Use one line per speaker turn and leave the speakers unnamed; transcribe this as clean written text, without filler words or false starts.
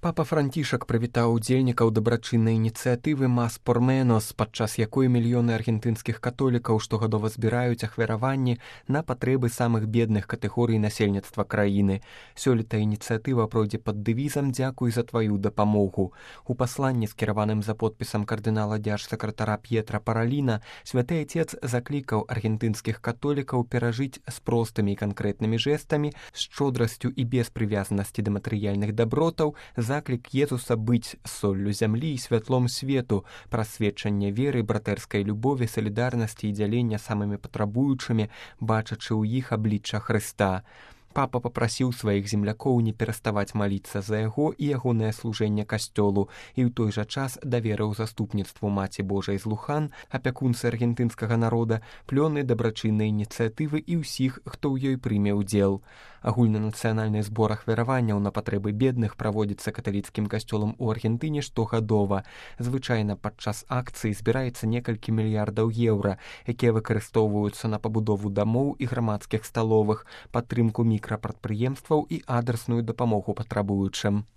Папа Францішак прывітаў удзельнікаў дабрачыннай ініцыятывы «Мас пор Менос», падчас якой мільёны аргентынскіх католікаў штогадова збіраюць ахвяраванні на патрэбы самых бедных катэгорый насельніцтва краіны. Сёлета ініцыятыва пройдзе пад дэвізам «Дзякуй за тваю дапамогу». У пасланні, скіраваным за подпісам кардынала дзяржсакратара П'етра Параліна, святы Отец заклікаў аргентынскіх католікаў перажыць з простымі і канкрэтнымі жэстамі, з шчодрасцю і без прывязанасці да матэрыяльных дабротаў, заклік Езуса быць соллю зямлі і святлом свету, праз сведчанне веры, братэрскай любові, салідарнасці і дзялення самымі патрабуючымі, бачачы ў іх аблічча Хрыста. Папа папрасіў сваіх землякоў не пераставаць маліцца за яго і ягонае служэнне касцёлу і ў той жа час даверыў заступніцтву Маці Божай з Лухан, апякунцы аргентынскага народа, плёны дабрачыннай ініцыятывы і ўсіх, хто ў ёй прыме ўдзел. Агульнанацыянальны збор ахвяраванняў на патрэбы бедных праводзіцца каталіцкім касцёлам у Аргентыне штогадова. Звычайна падчас акцыі збіраецца некалькі мільярдаў еўра, якія выкарыстоўваюцца на пабудову дамоў і грамадскіх сталовых, падтрымку мікрапрадпрыемстваў і адрасную дапамогу патрабуючым.